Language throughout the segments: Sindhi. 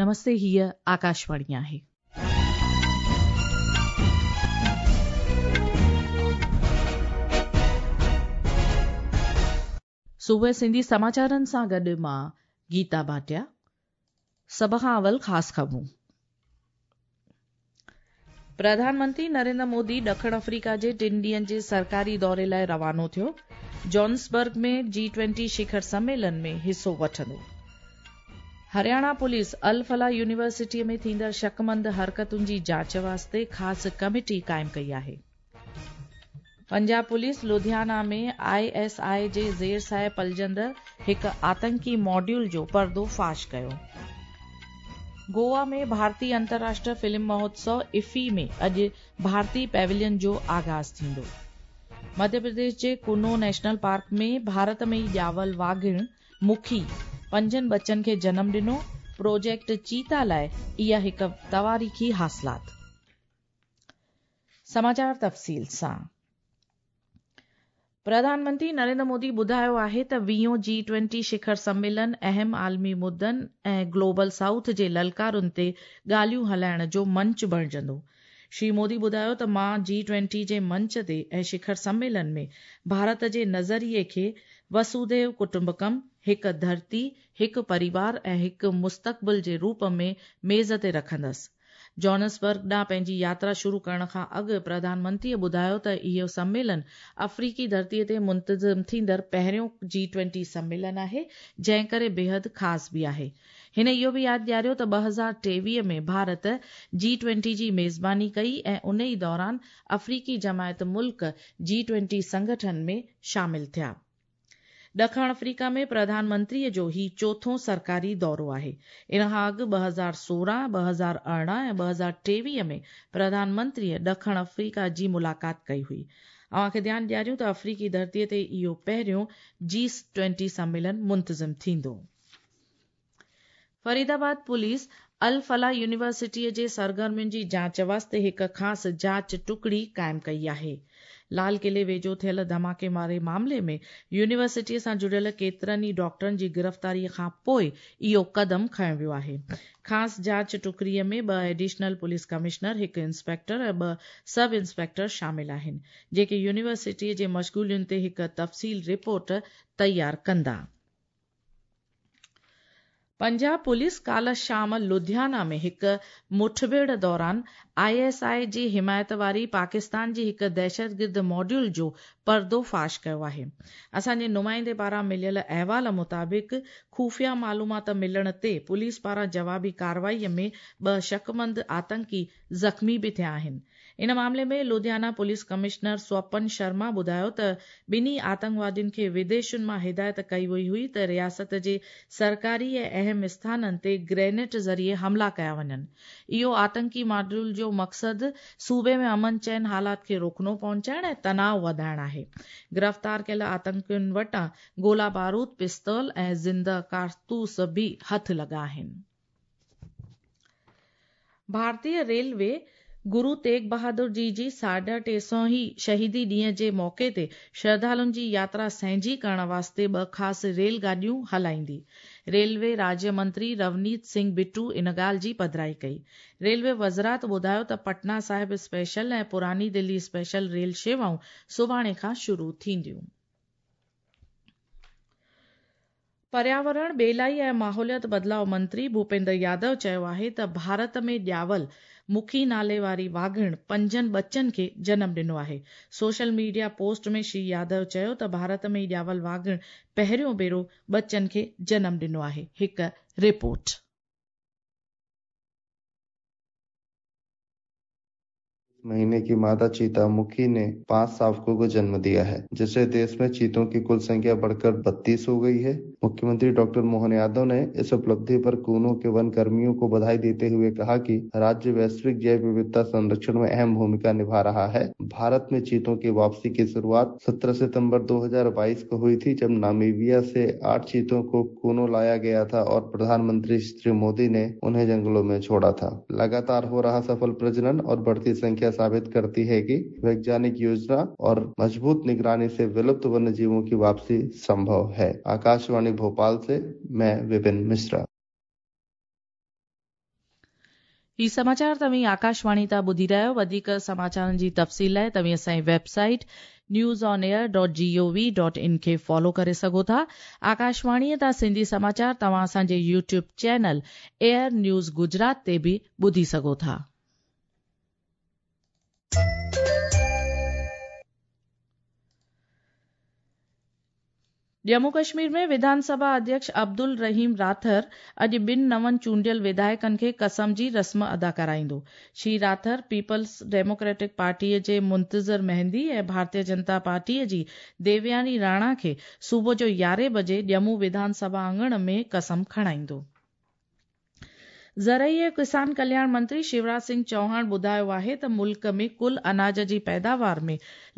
نمستي هيء آڪاشواڻي آهي. صبح سنڌي سماچارن سان گڏ مان گيتا ڀاٽيا. سڀ کان اول خاص خبرون. پرڌان منتري نريندر مودي ڏکڻ آفريڪا جي ٽن ڏينهن جي سرڪاري دوري لاء روانو ٿيو. جوهانسبرگ ۾ جي ٽوئنٽي شکر سميلن ۾ حصو وٺندو. هرياڻا پوليس الفلاح يونيورسٽيء ۾ ٿيندڙ شڪمند حرڪتن جي جاچ واسطي خاص ڪميٽي قائم ڪئي آهي. Punjab police Ludhiana ۾ I S I جي زير سايه پلجندڙ هڪ آتنڪي ماڊيول جو پردو فاش ڪيو. گوا ۾ ڀارتي انترراشٽر فلم مهوتسو افي ۾ اڄ ڀارتي پيويلين جو آغاز ٿيندو. مڌيه پرديش جي ڪونو نيشنل پارڪ ۾ ڀارت ۾ ئي ڄاول واگهڻ مکي پنجن ٻچن کي جنم ڏنو، پروجيڪٽ چيتا لاء اها هڪ تواريخي حاصلات. سماچار تفصيل سان پرڌان منتري نريندر مودي ٻڌايو آهي ته ويهون جي ٽوئنٽي شکر سميلن اهم عالمي مدن ۽ گلوبل سائوٿ جي للڪارن تي ڳالهيون هلائڻ جو منچ بڻجندو. شري مودي ٻڌايو ته مان جي ٽوئنٽي جي منچ تي ۽ شکر سميلن ۾ ڀارت جي نظريي کي وسوديو ڪٽنبڪم، هڪ ڌرتي، هڪ پريوار ۽ هڪ مستقبل جي روپ ۾ ميز تي رکندس. جوهانسبرگ ڏانهن پنهنجي ياترا شروع ڪرڻ کان اڳ پرڌان منتريء ٻڌايو ته اهو سميلن آفريڪي ڌرتيء تي منتظم ٿيندڙ پهريون جي ٽوئنٽي سميلن آهي، جنهن ڪري بيحد خاص به آهي. هن اهو به ياد ڏياريو ته 2023 ۾ ڀارت جي ٽوئنٽي جي ميزباني ڪئي ۽ ان ئي دوران آفريڪي جماعت ملڪ جي ٽوئنٽي سنگٺن ۾ شامل ٿيا. ڏکڻ آفريڪا ۾ پرڌان منتريء جو هي چوٿون سرڪاري دورو آهي. ان کان اڳ 2016، 2018 ۽ 2023 ۾ پرڌان منتريء ڏکڻ آفريڪا جي ملاقات ڪئي هئي. اوهان کي ڌيان ڏياريون ته آفريڪي ڌرتيء تي اهو پهريون جي ٽوئنٽي سميلن منتظم ٿيندو. فريد آباد پوليس الفلاح يونيورسٽيء جي سرگرمين جي جاچ واسطي هڪ خاص جاچ ٽڪڙي قائم ڪئي آهي. لال قلعي ويجهو ٿيل ڌماڪي واري معاملي ۾ يونيورسٽيء سان جڙيل ڪيترن ئي ڊاڪٽرن جي گرفتاريء کان پوء اهو قدم کنيو ويو آهي. خاص جاچ ٽڪڙيء ۾ ٻه ايڊيشنل پوليس ڪمشنر، هڪ انسپيڪٽر ۽ ٻه سب انسپيڪٽر شامل آهن، جيڪي يونيورسٽيء جي مشغولين تي هڪ تفصيل رپورٽ تيار ڪندا. پنجاب پوليس ڪالهه شام لڌيانا ۾ هڪ مٺڀيڙ دوران I S I جي حمايت واري پاڪستان جي هڪ دهشتگرد ماڊيول جو پردو فاش ڪيو آهي. اسان جي نمائندي پاران مليل احوال مطابق خفيه معلومات ملڻ تي پوليس پاران جوابي ڪارروائي ۾ ٻه شڪمند آتنڪي زخمي به ٿيا آهن. ان معاملي ۾ لڌيانا پوليس ڪمشنر سوپن شرما ٻڌايو ته ٻنهي آتنڪوادين کي وديشن مان هدايت ڪئي وئي هئي ته رياست جي سرڪاري ۽ اهم اسٿانن تي گرينيٽ ذريعي حملا ڪيا وڃن. اهو آتنڪي ماڊيول جو مقصد صوبي ۾ امن چين حالات کي رخنو پهچائڻ ۽ تناء وڌائڻ آهي. گرفتار ڪيل آتنڪين وٽان گولا بارود، پستول ۽ زنده ڪارتوس به هٿ لڳا آهن. ڀارتي ريلوي گرو تيغ بهادر جي جي ساڍا ٽي سئو هين شهيدي ڏينهن جي موقعي تي شرڌالن جي ياترا سهنجي ڪرڻ واسطي ٻه خاص ريل گاڏيون هلائيندي. ريلوي راجيه منتري رونيت سنگهه بٽو ان ڳالهه جي پڌرائي ڪئي. ريلوي وزارت ٻڌايو ته پٽنا صاحب اسپيشل ۽ پراني دلي اسپيشل ريل شيوائون سڀاڻي کان شروع ٿينديون. پرياورڻ، ٻيلائي ۽ ماحوليات بدلاء منتري ڀوپيندر يادو چيو آهي ته ڀارت ۾ ڄاول مکي نالي واري واگهڻ پنجن ٻچن کي جنم ڏنو آهي. Social media post ۾ Shri Yadav چيو ته ڀارت ۾ ڄاول واگهڻ پهريون ڀيرو ٻچن کي جنم ڏنو آهي. هڪ رپورٽ. महीने की मादा चीता मुखी ने 5 शावकों को जन्म दिया है, जिससे देश में चीतों की कुल संख्या बढ़कर 32 हो गई है। मुख्यमंत्री डॉक्टर मोहन यादव ने इस उपलब्धि पर कूनो के वन कर्मियों को बधाई देते हुए कहा कि राज्य वैश्विक जैव विविधता संरक्षण में अहम भूमिका निभा रहा है। भारत में चीतों की वापसी की शुरुआत 17 सितंबर 2022 को हुई थी, जब नामीबिया से 8 चीतों को कूनो लाया गया था और प्रधानमंत्री श्री मोदी ने उन्हें जंगलों में छोड़ा था। लगातार हो रहा सफल प्रजनन और बढ़ती संख्या साबित करती है कि वैज्ञानिक योजना और मजबूत निगरानी से विलुप्त वन्य जीवों की वापसी संभव है। आकाशवाणी भोपाल से मैं विपिन मिश्रा। هي سماچار توهين آڪاشواڻي تان ٻڌي رهيا آهيو. وڌيڪ سماچارن جي تفصيل لاء توهين اسان جي website news on air dot G O V dot in کي فالو ڪري سگهو ٿا. آڪاشواڻي تان سنڌي سماچار توهان اسان جي YouTube channel AIR news Gujarat تي به ٻڌي سگهو ٿا. ڄمون ڪشمير ۾ وڌان سڀا اڌيڪش عبدالرحيم راٿر اڄ ٻن نون چونڊيل وڌايڪن کي قسم جي رسم ادا ڪرائيندو. شري راٿر پيپلز ڊيموڪريٽڪ پارٽيء جي منتظر مهدي ۽ ڀارتيه جنتا پارٽيء جي ديوياني راڻا کي صبح جو يارهين بجي ڄمون وڌان سڀا اڱڻ ۾ قسم کڻائيندو. زرعي ۽ ڪسان ڪلياڻ منتري شيوراج سنگهه چوهاڻ ٻڌايو آهي ته ملڪ ۾ ڪل اناج جي پيداوار ۾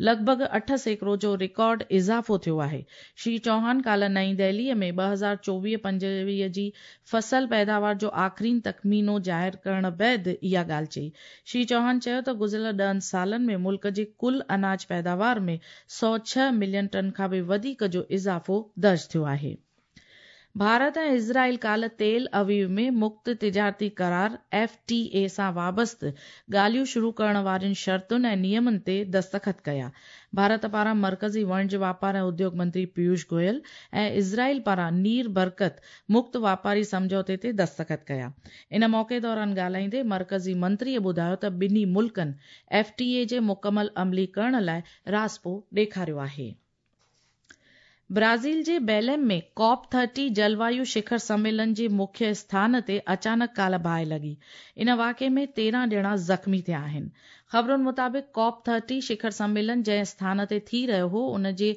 لڳ ڀڳ 8% جو رڪارڊ اضافو ٿيو آهي. شري چوهاڻ ڪالهه نئين دهلي ۾ 2024-25 جي فصل پيداوار جو آخرين تخمينو ظاهر ڪرڻ بعد اها ڳالهه چئي. شري چوهاڻ چيو ته گذريل ڏهن سالن ۾ ملڪ جي ڪل اناج پيداوار ۾ 106 ملين ٽن کان به وڌيڪ جو اضافو درج ٿيو آهي. ڀارت ۽ اسرائيل ڪالهه تيل اويو ۾ مڪت تجارتي قرار، ايف ٽي اي، سان وابسته ڳالهيون شروع ڪرڻ وارين شرطن ۽ نيمن تي دستخط ڪيا. ڀارت پاران مرڪزي وڻج واپار ۽ اديوگ منتري پيوش گويل ۽ اسرائيل پاران نير برڪت مڪت واپاري سمجهوتي تي دستخط ڪيا. ان موقعي دوران ڳالهائيندي مرڪزي منتري ٻڌايو ته ٻنهي ملڪن ايف ٽي اي جي مڪمل عملي ڪرڻ لاء راضپو ڏيکاريو آهي. برازيل جي بيليم ۾ ڪاپ ٿرٽي جلوايو شکر سميلن جي مکيه اسٿان تي اچانڪ ڪالهه باهه لڳي. ان واقعي ۾ 13 ڄڻا زخمي ٿيا آهن. خبرن مطابق ڪاپ ٿرٽي شکر سميلن جنهن اسٿان تي ٿي رهيو هو ان جي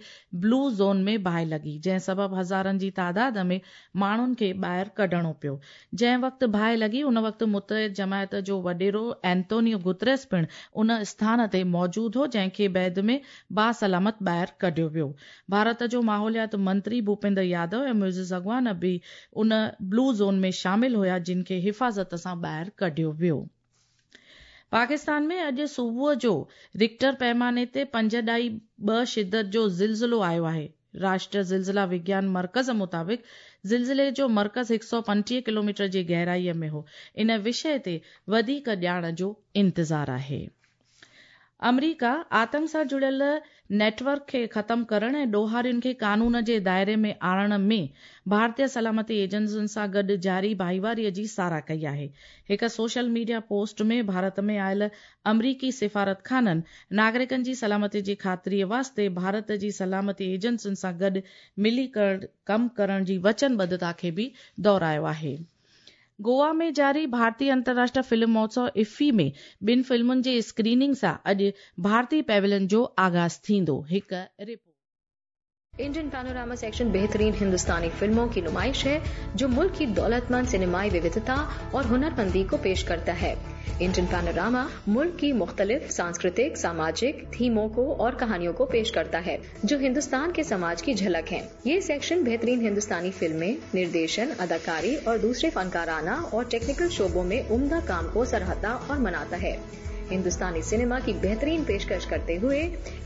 بلو زون ۾ باهه لڳي جنهن سبب هزارن جي تعداد ۾ ماڻهن کي ٻاهر ڪڍڻو پيو. جنهن وقت باهه لڳي ان وقت متحد جماعت جو وڏيرو اينتونيو گوتريس پڻ ان اسٿان تي موجود هو جنهن کي بعد ۾ باسلامت ٻاهر ڪڍيو ويو. ڀارت جو ماحوليات منتري ڀوپيندر يادو ۽ معزز اڳواڻ به ان بلو زون ۾ شامل هيا جن کي حفاظت سان ٻاهر ڪڍيو ويو. پاڪستان ۾ اڄ صبح جو رڪٽر پيماني تي پنج ڏائي ٻه شدت جو زلزلو آيو آهي. راشٽريه زلزلا وگيان مرڪز مطابق زلزلي جو مرڪز 135 ڪلوميٽر جي گهرائي ۾ هو. ان وشيه تي وڌيڪ ڄاڻ جو انتظار آهي. آمريڪا آتنڪ سان جڙيل نيٽ ورڪ کي ختم ڪرڻ ۽ ڏوهارين کي قانون جي دائري ۾ آڻڻ ۾ ڀارتي سلامتي ايجنسين سان گڏ جاري ڀائيواري جي ساراهه ڪئي آهي. هڪ سوشل ميڊيا پوسٽ ۾ ڀارت ۾ آيل آمريڪي سفارتخانن ناگرڪن جي سلامتي جي خاطري واسطي ڀارت جي سلامتي ايجنسين سان گڏ ملي ڪم ڪرڻ جي وچنبڌتا کي به دهرايو آهي. گوا ۾ جاري ڀارتي انترراشٽر فلم مهوتسو افي ۾ ٻن فلمن جي اسڪريننگ سان اڄ ڀارتي پيويلين جو آغاز ٿيندو. هڪ رپورٽ. इंडियन पैनोरामा सेक्शन बेहतरीन हिंदुस्तानी फिल्मों की नुमाइश है जो मुल्क की दौलतमंद सिनेमाई विविधता और हुनरमंदी को पेश करता है। इंडियन पैनोरामा मुल्क की मुख्तलिफ सांस्कृतिक, सामाजिक थीमों को और कहानियों को पेश करता है जो हिंदुस्तान के समाज की झलक है। ये सेक्शन बेहतरीन हिंदुस्तानी फिल्में, निर्देशन, अदाकारी और दूसरे फनकाराना और टेक्निकल शोबों में उम्दा काम को सराहता और मनाता है। हिंदुस्तानी सिनेमा की बेहतरीन पेशकश करते हुए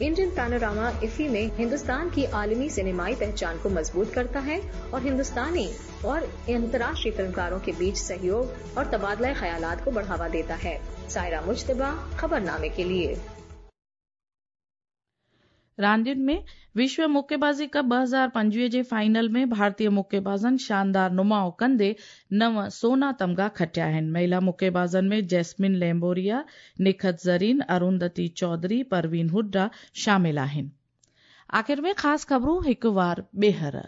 इंडियन पैनोरामा इफी में हिंदुस्तान की आलमी सिनेमाई पहचान को मजबूत करता है और हिंदुस्तानी और अंतर्राष्ट्रीय फिल्मकारों के बीच सहयोग और तबादला ख्यालात को बढ़ावा देता है। सायरा मुज्तबा, खबरनामे के लिए। रांदियुनि में विश्व मुक्केबाज़ी कप 2025 जे फाइनल में भारतीय मुक्केबाज़नि शानदार नुमाउ कंदे नव सोना तमगा खटिया आहिनि। महिला मुक्केबाज़नि में जैस्मिन लैम्बोरिया, निखत ज़रीन, अरुंधति चौधरी, परवीन हुड्डा शामिल आहिनि। आख़िर में ख़ासि ख़बरूं हिकु वार ॿीहर।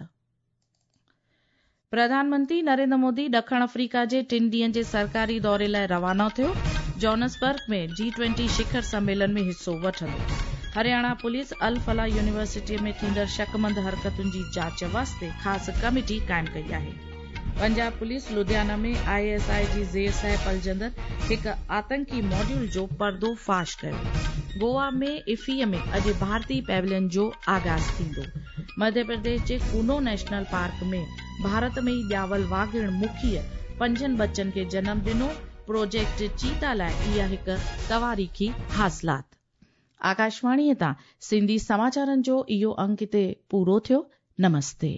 प्रधानमंत्री नरेंद्र मोदी ॾखण अफ्रीका जे टिनि ॾींहनि जे सरकारी दौरे लाइ रवानो थियो। जोहान्सबर्ग में जी ट्वेंटी शिखर सम्मेलन में हिसो वठंदो। हरियाणा पुलिस अल फलाह यूनिवर्सिटीअ में थींदड़ शकमंद हरकतुनि जी जांच वास्ते ख़ासि कमेटी क़ाइमु कई आहे। Punjab police Ludhiana में I S I जी ज़ेर साए पलजंदड़ हिकु आतंकी मॉड्यूल जो पर्दो फ़ाश कयो। गोवा में इफ़ीअ में अॼु भारतीय पैविलियन जो आगाज़ थींदो। मध्य प्रदेश जे कूनो नेशनल पार्क में भारत में ई ॼावल वाघिण मुखीअ पंजनि बच्चनि खे जनम ॾिनो। प्रोजेक्ट चीता लाइ इहा हिकु तवारीख़ी हासिलात। आकाशवाणीअ तां सिंधी समाचारनि जो इहो अंक हिते पूरो थियो। नमस्ते।